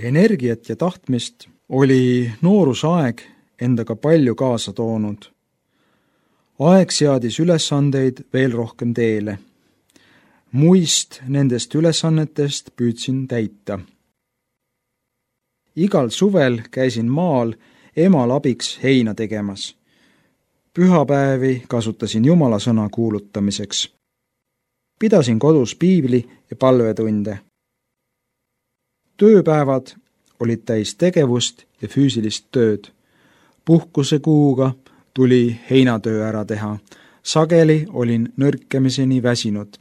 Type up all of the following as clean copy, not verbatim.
Energiat ja tahtmist oli noorusaeg endaga palju kaasa toonud. Aeg seadis ülesandeid veel rohkem teele. Muist nendest ülesannetest püüdsin täita. Igal suvel käisin maal emal abiks heina tegemas. Pühapäevi kasutasin Jumala sõna kuulutamiseks. Pidasin kodus piibli ja palvetunde. Tööpäevad olid täis tegevust ja füüsilist tööd. Puhkuse kuuga tuli heinatöö ära teha. Sageli olin nõrkemiseni väsinud.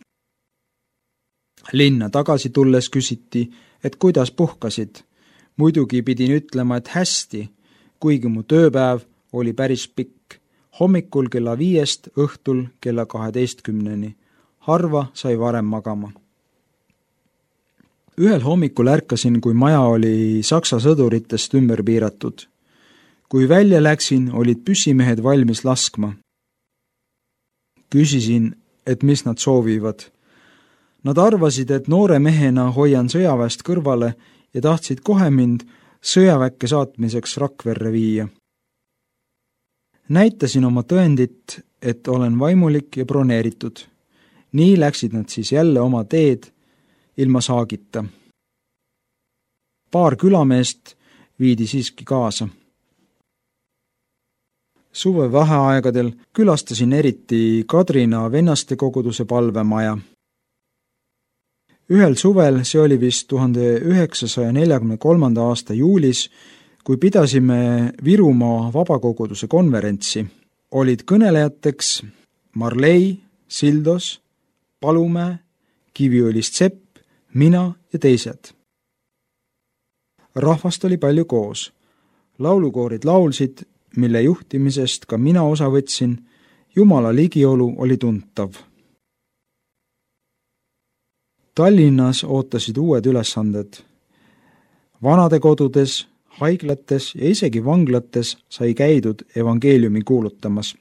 Linna tagasi tulles küsiti, et kuidas puhkasid. Muidugi pidin ütlema, et hästi, kuigi mu tööpäev oli päris pikk. Hommikul kella 5 õhtul kella 12. Harva sai varem magama. Ühel hommikul ärkasin, kui maja oli Saksa sõduritest ümber piiratud. Kui välja läksin, olid püssimehed valmis laskma. Küsisin, et mis nad soovivad. Nad arvasid, et noore mehena hoian sõjaväest kõrvale ja tahtsid kohe mind sõjaväkke saatmiseks Rakverre viia. Näitasin oma tõendit, et olen vaimulik ja broneeritud. Nii läksid nad siis jälle oma teed ilma saagita. Paar külameest viidi siiski kaasa. Suve vaheaegadel külastasin eriti Kadrina vennastekoguduse palvemaja. Ühel suvel, see oli vist 1943. aasta juulis, kui pidasime Virumaa vabakoguduse konverentsi, olid kõnelejateks Marlei, Sildos, Palumäe, Kiviõlist Sepp, mina ja teised. Rahvast oli palju koos. Laulukoorid laulsid, mille juhtimisest ka mina osa võtsin. Jumala ligiolu oli tuntav. Tallinnas ootasid uued ülesanded. Vanadekodudes, haiglates ja isegi vanglates sai käidud evangeeliumi kuulutamas.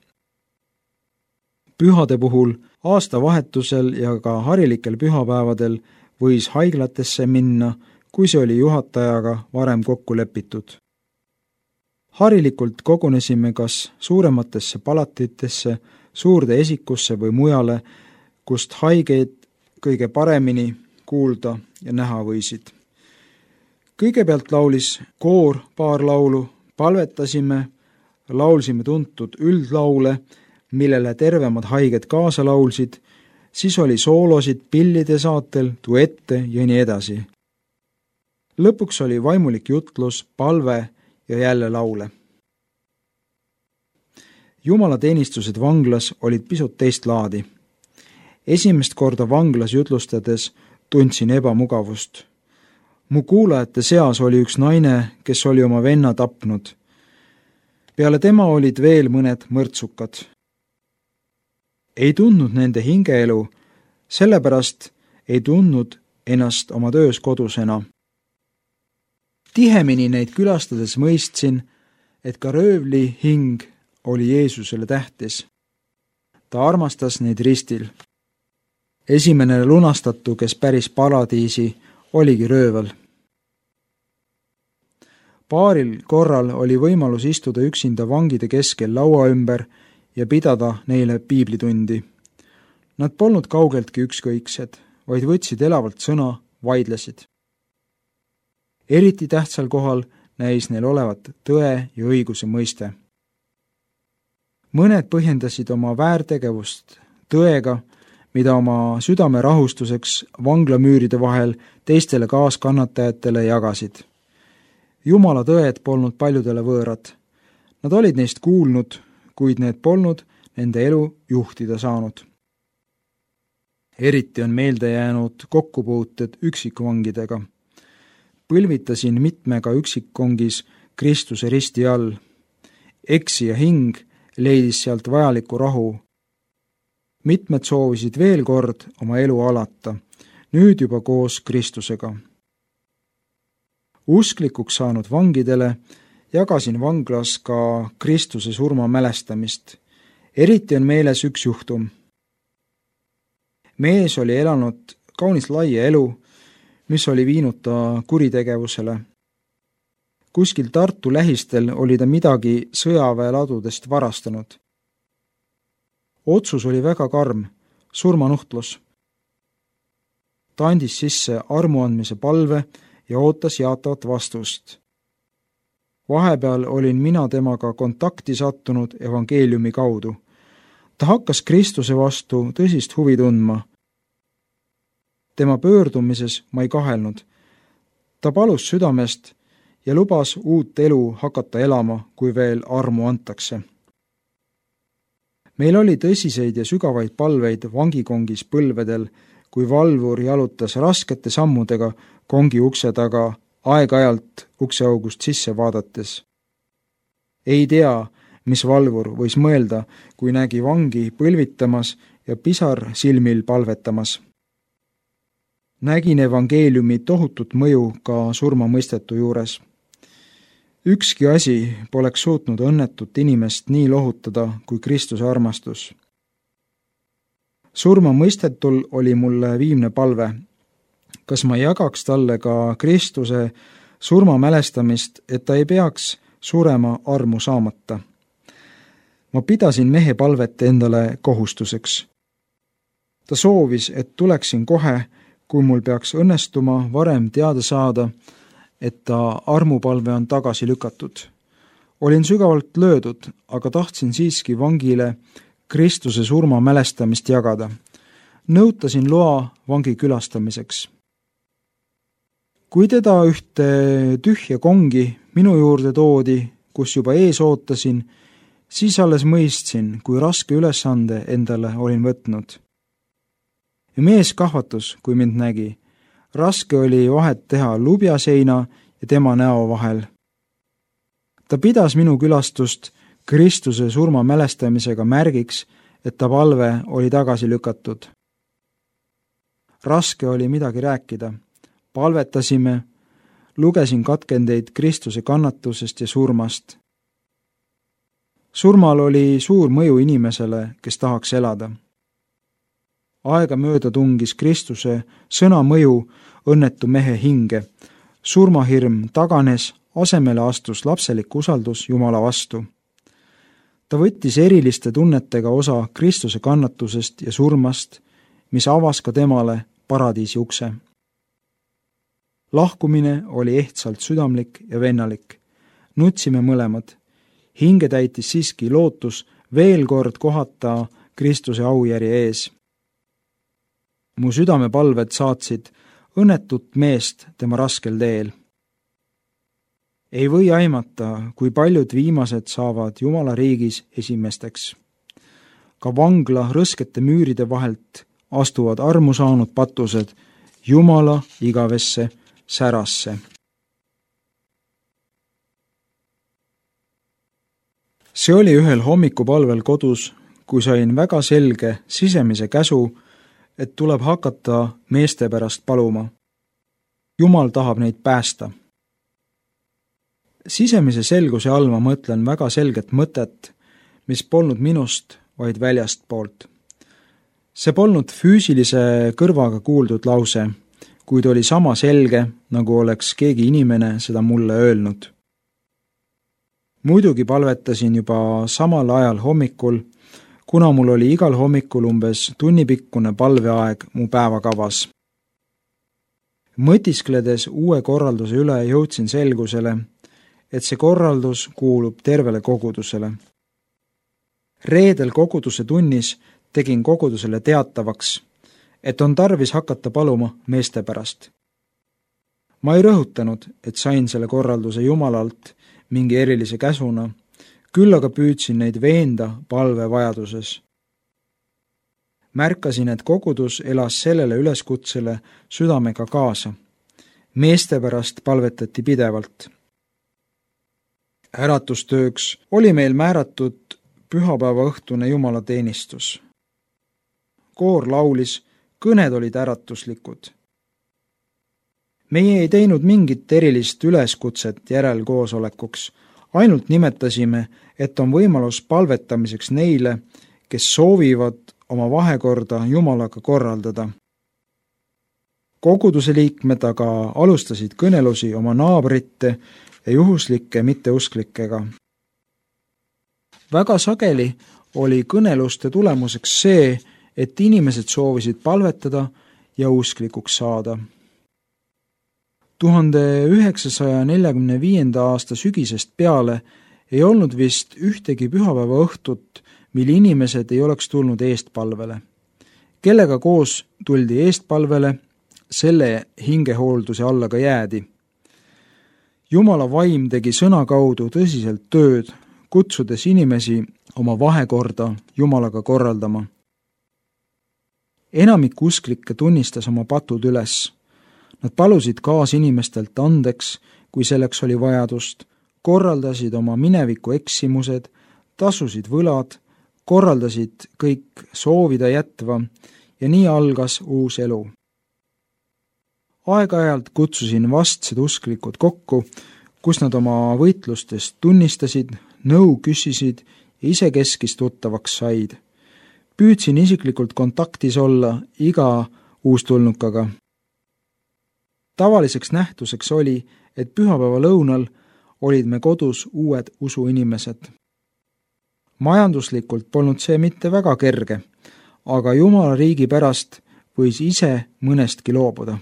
Pühade puhul, aastavahetusel ja ka harilikel pühapäevadel võis haiglatesse minna, kui see oli juhatajaga varem kokku lepitud. Harilikult kogunesime kas suurematesse palatitesse, suurde esikusse või mujale, kust haigeid kõige paremini kuulda ja näha võisid. Kõigepealt laulis koor paar laulu, palvetasime, laulsime tuntud üldlaule, millele tervemad haiged kaasa laulsid, siis oli soolosid pillide saatel, duette ja nii edasi. Lõpuks oli vaimulik jutlus, palve ja jälle laule. Jumalateenistused vanglas olid pisut teist laadi. Esimest korda vanglas jutlustades tundsin ebamugavust. Mu kuulajate seas oli üks naine, kes oli oma venna tapnud. Peale tema olid veel mõned mõrtsukad. Ei tundnud nende hingeelu, sellepärast ei tundnud ennast oma töös kodusena. Tihemini neid külastades mõistsin, et ka röövli hing oli Jeesusele tähtis. Ta armastas neid ristil. Esimene lunastatu, kes päris paradiisi, oligi röövel. Paaril korral oli võimalus istuda üksinda vangide keskel laua ümber ja pidada neile piiblitundi. Nad polnud kaugeltki ükskõiksed, vaid võtsid elavalt sõna, vaidlesid. Eriti tähtsal kohal näis neil olevat tõe ja õiguse mõiste. Mõned põhjendasid oma väärtegevust tõega, mida oma südame rahustuseks vanglamüüride vahel teistele kaaskannatajatele jagasid. Jumala tõed polnud paljudele võõrad. Nad olid neist kuulnud, kuid need polnud nende elu juhtida saanud. Eriti on meelde jäänud kokkupuuted üksikvangidega. Põlvitasin mitmega üksikkongis Kristuse risti all. Eksija hing leidis sealt vajaliku rahu. Mitmed soovisid veel kord oma elu alata, nüüd juba koos Kristusega. Usklikuks saanud vangidele jagasin vanglas ka Kristuse surma mälestamist. Eriti on meeles üks juhtum. Mees oli elanud kaunis laia elu, mis oli viinud ta kuritegevusele. Kuskil Tartu lähistel oli ta midagi sõjaväeladudest varastanud. Otsus oli väga karm, surmanuhtlus. Ta andis sisse armuandmise palve ja ootas jaatavat vastust. Vahepeal olin mina temaga kontakti sattunud evangeeliumi kaudu. Ta hakkas Kristuse vastu tõsist huvi tundma. Tema pöördumises ma ei kahelnud. Ta palus südamest ja lubas uut elu hakata elama, kui veel armu antakse. Meil oli tõsiseid ja sügavaid palveid vangikongis põlvedel, kui valvur jalutas raskete sammudega kongi ukse taga, aeg-ajalt ukseaugust sisse vaadates. Ei tea, mis valvur võis mõelda, kui nägi vangi põlvitamas ja pisar silmil palvetamas. Nägin evangeeliumi tohutut mõju ka surmamõistetu juures. Ükski asi poleks suutnud õnnetut inimest nii lohutada kui Kristuse armastus. Surmamõistetul oli mulle viimne palve. Kas ma jagaks talle ka Kristuse surma mälestamist, et ta ei peaks surema armu saamata? Ma pidasin mehe palvet endale kohustuseks. Ta soovis, et tuleksin kohe, kui mul peaks õnnestuma varem teada saada, et ta armupalve on tagasi lükatud. Olin sügavalt löödud, aga tahtsin siiski vangile Kristuse surma mälestamist jagada. Nõutasin loa vangi külastamiseks. Kui teda ühte tühja kongi minu juurde toodi, kus juba ees ootasin, siis alles mõistsin, kui raske ülesande endale olin võtnud. Ja mees kahvatus, kui mind nägi. Raske oli vahet teha lubjaseina ja tema näo vahel. Ta pidas minu külastust Kristuse surma mälestamisega märgiks, et ta palve oli tagasi lükatud. Raske oli midagi rääkida. Palvetasime, lugesin katkendeid Kristuse kannatusest ja surmast. Surmal oli suur mõju inimesele, kes tahaks elada. Aega mööda tungis Kristuse sõna mõju õnnetu mehe hinge. Surmahirm taganes, asemele astus lapselik usaldus Jumala vastu. Ta võttis eriliste tunnetega osa Kristuse kannatusest ja surmast, mis avas ka temale paradiisi ukse. Lahkumine oli ehtsalt südamlik ja vennalik. Nutsime mõlemad. Hinge täitis siiski lootus veel kord kohata Kristuse aujärje ees. Mu südamepalved saatsid õnnetut meest tema raskel teel. Ei või aimata, kui paljud viimased saavad Jumala riigis esimesteks. Ka vangla rõskete müüride vahelt astuvad armu saanud patused Jumala igavesse särasse. See oli ühel hommikupalvel kodus, kui sain väga selge sisemise käsu, et tuleb hakata meeste pärast paluma. Jumal tahab neid päästa. Sisemise selguse all ma mõtlen väga selget mõtet, mis polnud minust, vaid väljast poolt. See polnud füüsilise kõrvaga kuuldud lause, kuid oli sama selge, nagu oleks keegi inimene seda mulle öelnud. Muidugi palvetasin juba samal ajal hommikul, kuna mul oli igal hommikul umbes tunnipikkune palveaeg mu päevakavas. Mõtiskledes uue korralduse üle jõudsin selgusele, et see korraldus kuulub tervele kogudusele. Reedel koguduse tunnis tegin kogudusele teatavaks, et on tarvis hakata paluma meeste pärast. Ma ei rõhutanud, et sain selle korralduse Jumalalt mingi erilise käsuna, küll aga püüdsin neid veenda palve vajaduses. Märkasin, et kogudus elas sellele üleskutsele südamega kaasa. Meeste pärast palvetati pidevalt. Äratustööks oli meil määratud pühapäeva õhtune jumalateenistus. Koor laulis, kõned olid äratuslikud. Meie ei teinud mingit erilist üleskutset järelkoosolekuks, ainult nimetasime, et on võimalus palvetamiseks neile, kes soovivad oma vahekorda Jumalaga korraldada. Koguduse liikmed aga alustasid kõnelusi oma naabrite ja juhuslike mitteusklikega. Väga sageli oli kõneluste tulemuseks see, et inimesed soovisid palvetada ja usklikuks saada. 1945. aasta sügisest peale ei olnud vist ühtegi pühapäeva õhtut, mil inimesed ei oleks tulnud eestpalvele. Kellega koos tuldi eestpalvele, selle hingehoolduse alla ka jäädi. Jumala vaim tegi sõna kaudu tõsiselt tööd, kutsudes inimesi oma vahekorda Jumalaga korraldama. Enamik usklikke tunnistas oma patud üles. Nad palusid kaasinimestelt andeks, kui selleks oli vajadust, korraldasid oma mineviku eksimused, tasusid võlad, korraldasid kõik soovida jätva ja nii algas uus elu. Aeg-ajalt kutsusin vastsed usklikud kokku, kus nad oma võitlustest tunnistasid, nõu küsisid ja isekeskis tuttavaks said. Püüdsin isiklikult kontaktis olla iga uustulnukaga. Tavaliseks nähtuseks oli, et pühapäeva lõunal olid me kodus uued usuinimesed. Majanduslikult polnud see mitte väga kerge, aga Jumala riigi pärast võis ise mõnestki loobuda.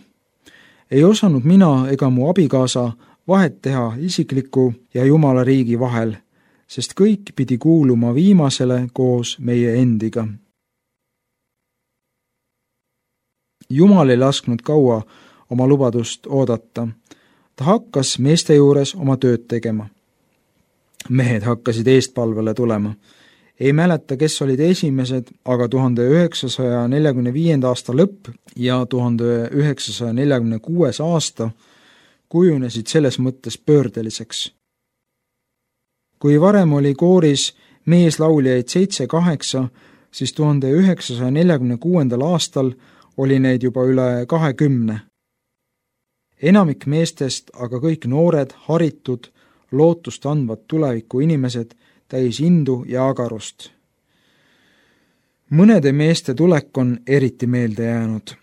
Ei osanud mina ega mu abikaasa vahet teha isikliku ja Jumala riigi vahel, sest kõik pidi kuuluma viimasele koos meie endiga. Jumal ei lasknud kaua oma lubadust oodata. Ta hakkas meeste juures oma tööd tegema. Mehed hakkasid eestpalvele tulema. Ei mäleta, kes olid esimesed, aga 1945. aasta lõpp ja 1946. aasta kujunesid selles mõttes pöördeliseks. Kui varem oli kooris meeslauljaid 7-8, siis 1946. aastal oli neid juba üle 20. Enamik meestest, aga kõik noored, haritud, lootust andvad tuleviku inimesed täis indu ja agarust. Mõnede meeste tulek on eriti meelde jäänud.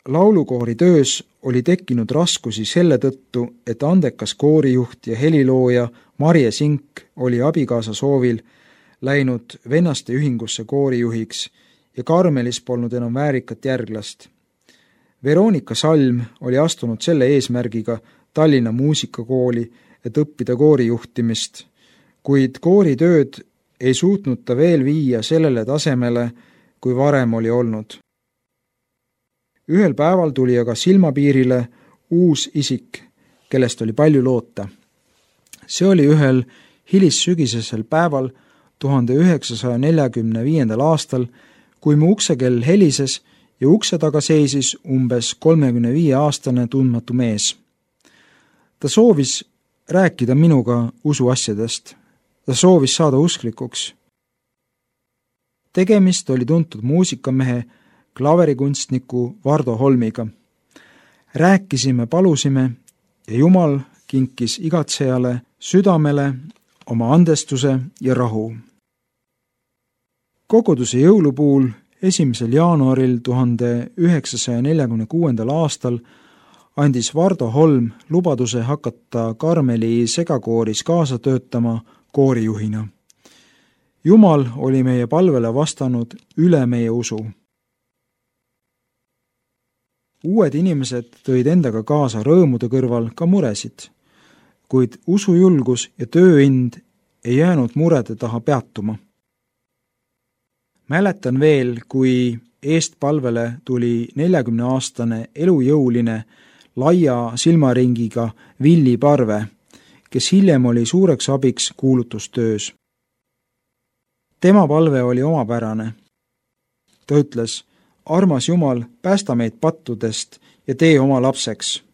Laulukoori töös oli tekkinud raskusi selle tõttu, et andekas koorijuht ja helilooja Marje Sink oli abikaasa soovil läinud vennaste ühingusse koorijuhiks ja Karmelis polnud enam väärikat järglast. Veronika Salm oli astunud selle eesmärgiga Tallinna muusikakooli, et õppida koorijuhtimist, kuid kooritööd ei suutnud ta veel viia sellele tasemele, kui varem oli olnud. Ühel päeval tuli aga silmapiirile uus isik, kellest oli palju loota. See oli ühel hilissügisesel päeval 1945. aastal, kui mu uksekell helises ja ukse taga seisis umbes 35-aastane tundmatu mees. Ta soovis rääkida minuga usuasjadest. Ta soovis saada usklikuks. Tegemist oli tuntud muusikamehe, klaverikunstniku Vardo Holmiga. Rääkisime, palusime ja Jumal kinkis igatsejale südamele oma andestuse ja rahu. Koguduse jõulupuul 1. jaanuaril 1946. aastal andis Vardo Holm lubaduse hakata Karmeli segakooris kaasa töötama koorijuhina. Jumal oli meie palvele vastanud üle meie usu. Uued inimesed tõid endaga kaasa rõõmude kõrval ka muresid, kuid usujulgus ja tööind ei jäänud murede taha peatuma. Mäletan veel, kui eestpalvele tuli 40-aastane elujõuline laia silmaringiga Villi Parve, kes hiljem oli suureks abiks kuulutustöös. Tema palve oli omapärane. Ta ütles, armas Jumal, päästa meid pattudest ja tee oma lapseks.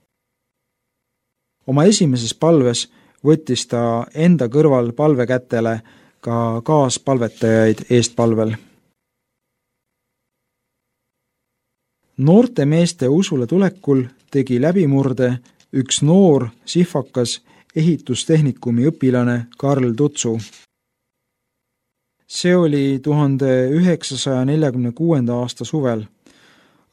Oma esimeses palves võttis ta enda kõrval palvekätele ka kaaspalvetajaid eestpalvel. Noorte meeste usule tulekul tegi läbimurde üks noor sihvakas ehitustehnikumi õpilane Karl Tutsu. See oli 1946. aasta suvel.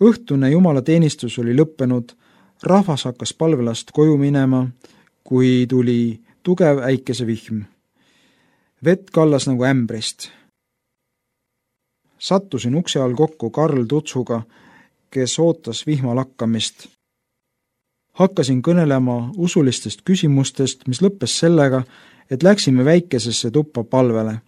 õhtune jumalateenistus oli lõppenud, rahvas hakkas palvelast koju minema, kui tuli tugev äikesevihm. Vett kallas nagu ämbrist. Sattusin ukse all kokku Karl Tutsuga, kes ootas vihma lakkamist. Hakkasin kõnelema usulistest küsimustest, mis lõppes sellega, et läksime väikesesse tuppa palvele.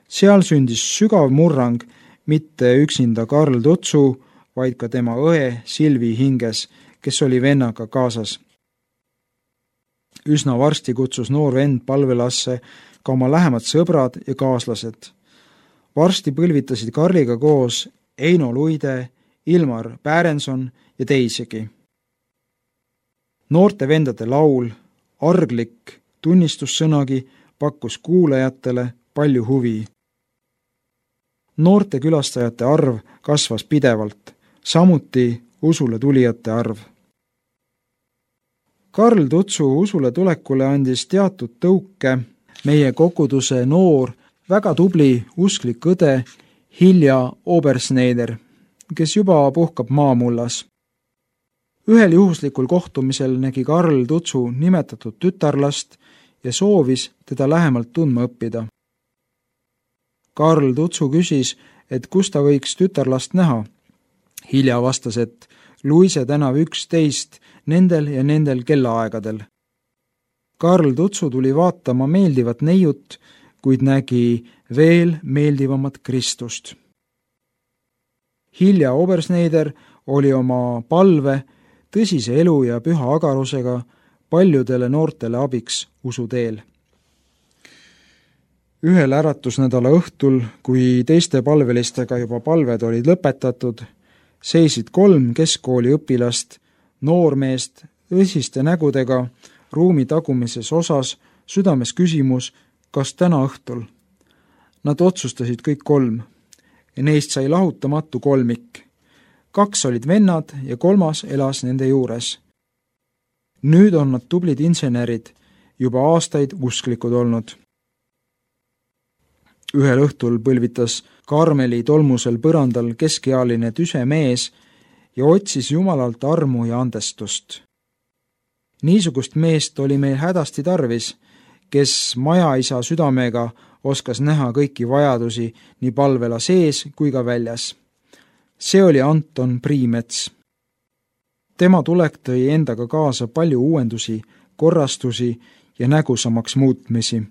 Seal sündis sügav murrang, mitte üksinda Karl Tutsu, vaid ka tema õe Silvi hinges, kes oli vennaga kaasas. Üsna varsti kutsus noor vend palvelasse ka oma lähemad sõbrad ja kaaslased. Varsti põlvitasid Karliga koos Eino Luide, Ilmar Pärenson ja teisegi. Noorte vendade laul, arglik tunnistussõnagi pakkus kuulajatele palju huvi. Noorte külastajate arv kasvas pidevalt, samuti usule tulijate arv. Karl Tutsu usule tulekule andis teatud tõuke meie koguduse noor, väga tubli usklik õde Hilja Obersneider, kes juba puhkab maamullas. Ühel juhuslikul kohtumisel nägi Karl Tutsu nimetatud tütarlast ja soovis teda lähemalt tundma õppida. Karl Tutsu küsis, et kus ta võiks tütarlast näha. Hilja vastas, et Luise tänav 11 nendel ja nendel kellaaegadel. Karl Tutsu tuli vaatama meeldivat neiut, kuid nägi veel meeldivamat Kristust. Hilja Obersneider oli oma palve, tõsise elu ja püha agarusega paljudele noortele abiks usuteel. Ühel äratusnädala õhtul, kui teiste palvelistega juba palved olid lõpetatud, seisid 3 keskkooli õpilast, noormeest, tõsiste nägudega ruumi tagumises osas, südames küsimus, kas täna õhtul. Nad otsustasid kõik 3 ja neist sai lahutamatu kolmik. 2 olid vennad ja 3 elas nende juures. Nüüd on nad tublid insenerid, juba aastaid usklikud olnud. Ühel õhtul põlvitas Karmeli tolmusel põrandal keskealine tüse mees ja otsis Jumalalt armu ja andestust. Niisugust meest oli meil hädasti tarvis, kes majaisa südamega oskas näha kõiki vajadusi nii palvela sees kui ka väljas. See oli Anton Priimets. Tema tulek tõi endaga kaasa palju uuendusi, korrastusi ja nägusamaks muutmisi.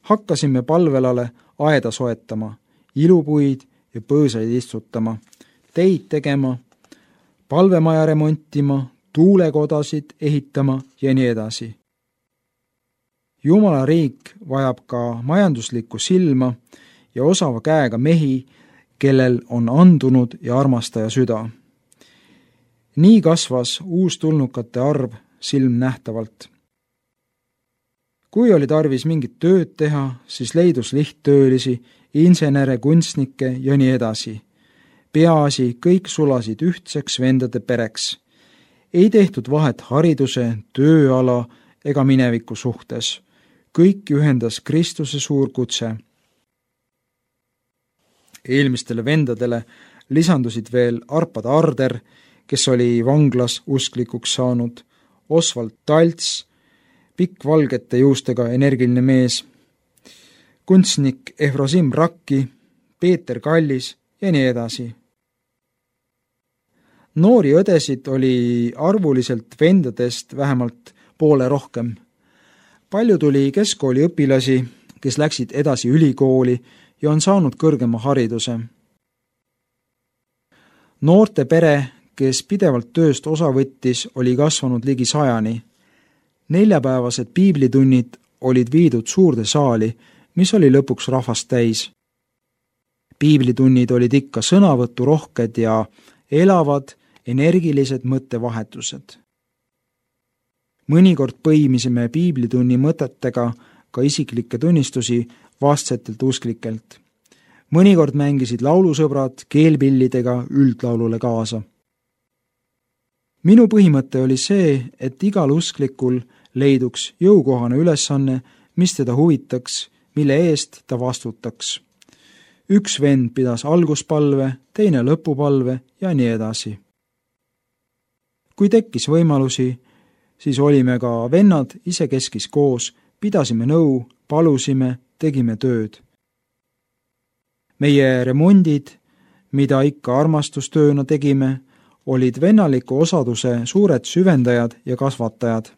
Hakkasime palvelale aeda soetama, ilupuid ja põõsaid istutama, teid tegema, palvemaja remontima, tuulekodasid ehitama ja nii edasi. Jumala riik vajab ka majanduslikku silma ja osava käega mehi, kellel on andunud ja armastaja süda. Nii kasvas uustulnukate arv silmnähtavalt. Kui oli tarvis mingit tööd teha, siis leidus lihttöölisi, insenere, kunstnikke ja nii edasi. Peaasi, kõik sulasid ühtseks vendade pereks. Ei tehtud vahet hariduse, tööala ega mineviku suhtes. Kõik ühendas Kristuse suur kutse. Eelmistele vendadele lisandusid veel Arpad Arder, kes oli vanglas usklikuks saanud, Osvald Talts, pikk valgete juustega energiline mees, kunstnik Efrosim Rakki, Peeter Kallis ja nii edasi. Noori õdesid oli arvuliselt vendadest vähemalt poole rohkem. Palju tuli keskkooli õpilasi, kes läksid edasi ülikooli ja on saanud kõrgema hariduse. Noorte pere, kes pidevalt tööst osa võttis, oli kasvanud ligi 100. Neljapäevased piiblitunnid olid viidud suurde saali, mis oli lõpuks rahvast täis. Piiblitunnid olid ikka sõnavõturohked ja elavad, energilised mõttevahetused. Mõnikord põimisime piiblitunni mõtetega ka isiklikke tunnistusi vastsetelt usklikelt. Mõnikord mängisid laulusõbrad keelpillidega üldlaulule kaasa. Minu põhimõte oli see, et igal usklikul leiduks jõukohane ülesanne, mis teda huvitaks, mille eest ta vastutaks. Üks vend pidas alguspalve, teine lõpupalve ja nii edasi. Kui tekkis võimalusi, siis olime ka vennad isekeskis koos, pidasime nõu, palusime, tegime tööd. Meie remondid, mida ikka armastustööna tegime, olid vennaliku osaduse suured süvendajad ja kasvatajad.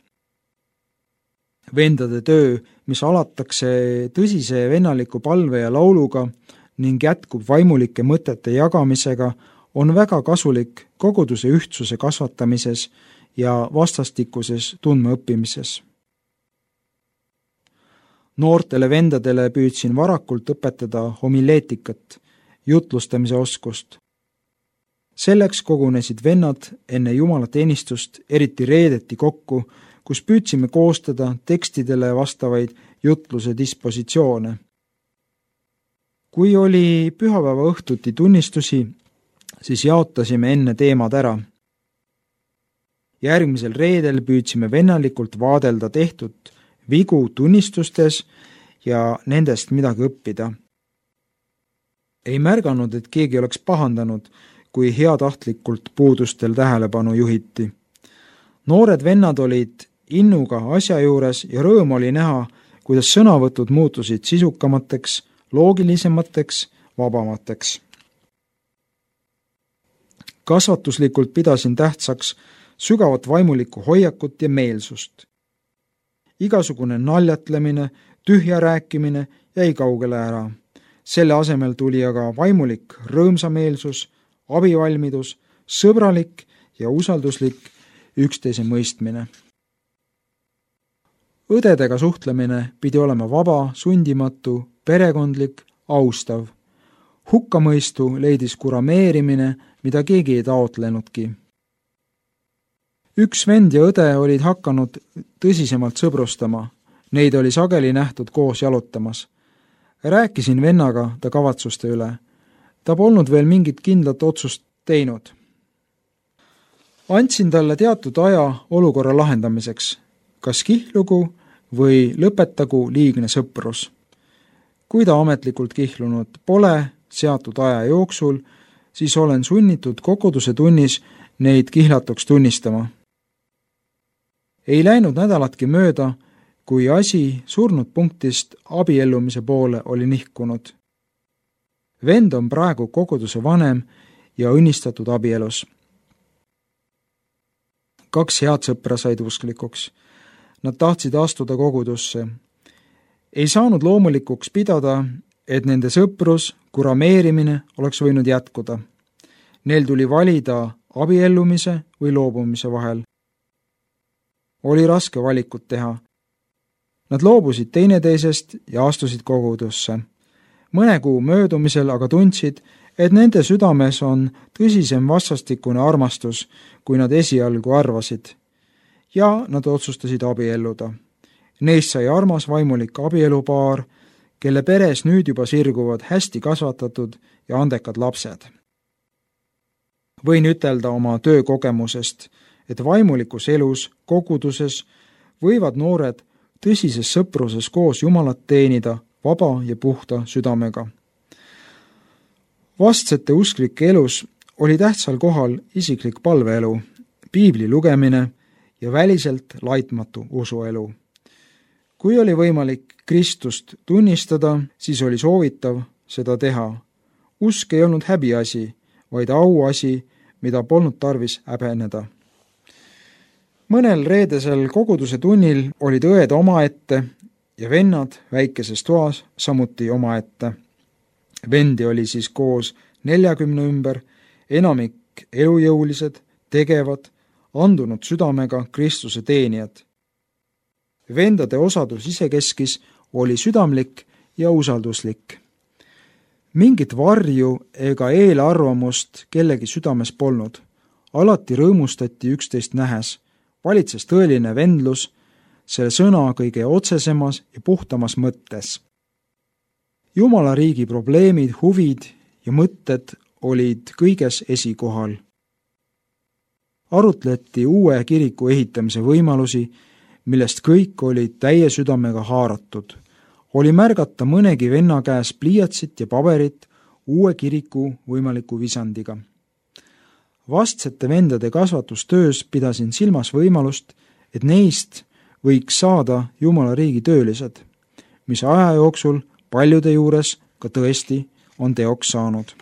Vendade töö, mis alatakse tõsise vennaliku palve ja lauluga ning jätkub vaimulike mõtete jagamisega, on väga kasulik koguduse ühtsuse kasvatamises ja vastastikuses tundmaõppimises. Noortele vendadele püüdsin varakult õpetada homileetikat, jutlustamise oskust. Selleks kogunesid vennad enne jumalateenistust, eriti reedeti kokku, kus püüdsime koostada tekstidele vastavaid jutluse dispositsioone. Kui oli pühapäeva õhtuti tunnistusi, siis jaotasime enne teemad ära. Järgmisel reedel püüdsime vennalikult vaadelda tehtud vigu tunnistustes ja nendest midagi õppida. Ei märganud, et keegi oleks pahandanud, kui heatahtlikult puudustel tähelepanu juhiti. Noored vennad olid innuga asja juures ja rõõm oli näha, kuidas sõnavõtud muutusid sisukamateks, loogilisemateks, vabamateks. Kasvatuslikult pidasin tähtsaks sügavat vaimulikku hoiakut ja meelsust. Igasugune naljatlemine, tühja rääkimine jäi kaugele ära. Selle asemel tuli aga vaimulik rõõmsameelsus, abivalmidus, sõbralik ja usalduslik üksteise mõistmine. Õdedega suhtlemine pidi olema vaba, sundimatu, perekondlik, austav. Hukkamõistu leidis kurameerimine, mida keegi ei taotlenudki. Üks vend ja õde olid hakanud tõsisemalt sõbrustama. Neid oli sageli nähtud koos jalutamas. Rääkisin vennaga ta kavatsuste üle. Ta polnud veel mingit kindlat otsust teinud. Andsin talle teatud aja olukorra lahendamiseks, kas kihlugu või lõpetagu liigne sõprus. Kui ta ametlikult kihlunud pole seatud aja jooksul, siis olen sunnitud koguduse tunnis neid kihlatuks tunnistama. Ei läinud nädalatki mööda, kui asi surnud punktist abiellumise poole oli nihkunud. Vend on praegu koguduse vanem ja õnnistatud abielus. 2 head sõpra said usklikuks. Nad tahtsid astuda kogudusse. Ei saanud loomulikuks pidada, et nende sõprus, kurameerimine oleks võinud jätkuda. Neil tuli valida abiellumise või loobumise vahel. Oli raske valikut teha. Nad loobusid teineteisest ja astusid kogudusse. Mõne kuu möödumisel aga tundsid, et nende südames on tõsisem vastastikune armastus, kui nad esialgu arvasid. Ja nad otsustasid abielluda. Neist sai armas vaimulik abielupaar, kelle peres nüüd juba sirguvad hästi kasvatatud ja andekad lapsed. Võin ütelda oma töökogemusest, et vaimulikus elus, koguduses võivad noored tõsises sõpruses koos Jumalat teenida vaba ja puhta südamega. Vastsete usklike elus oli tähtsal kohal isiklik palveelu, piibli lugemine ja väliselt laitmatu usuelu. Kui oli võimalik Kristust tunnistada, siis oli soovitav seda teha. Usk ei olnud häbiasi, vaid auasi, mida polnud tarvis häbeneda. Mõnel reedesel koguduse tunnil olid õed omaette ja vennad väikeses toas samuti omaette. Vendi oli siis koos 40 ümber, enamik elujõulised, tegevad, andunud südamega Kristuse teenijad. Vendade osadus isekeskis oli südamlik ja usalduslik. Mingit varju ega eelarvamust kellegi südames polnud. Alati rõõmustati üksteist nähes. Valitses tõeline vendlus, selle sõna kõige otsesemas ja puhtamas mõttes. Jumala riigi probleemid, huvid ja mõtted olid kõiges esikohal. Arutleti uue kiriku ehitamise võimalusi, millest kõik olid täie südamega haaratud. Oli märgata mõnegi venna käes pliiatsit ja paberit, uue kiriku võimaliku visandiga. Vastsete vendade kasvatustöös pidasin silmas võimalust, et neist võiks saada Jumala riigi töölised, mis aja jooksul paljude juures ka tõesti on teoks saanud.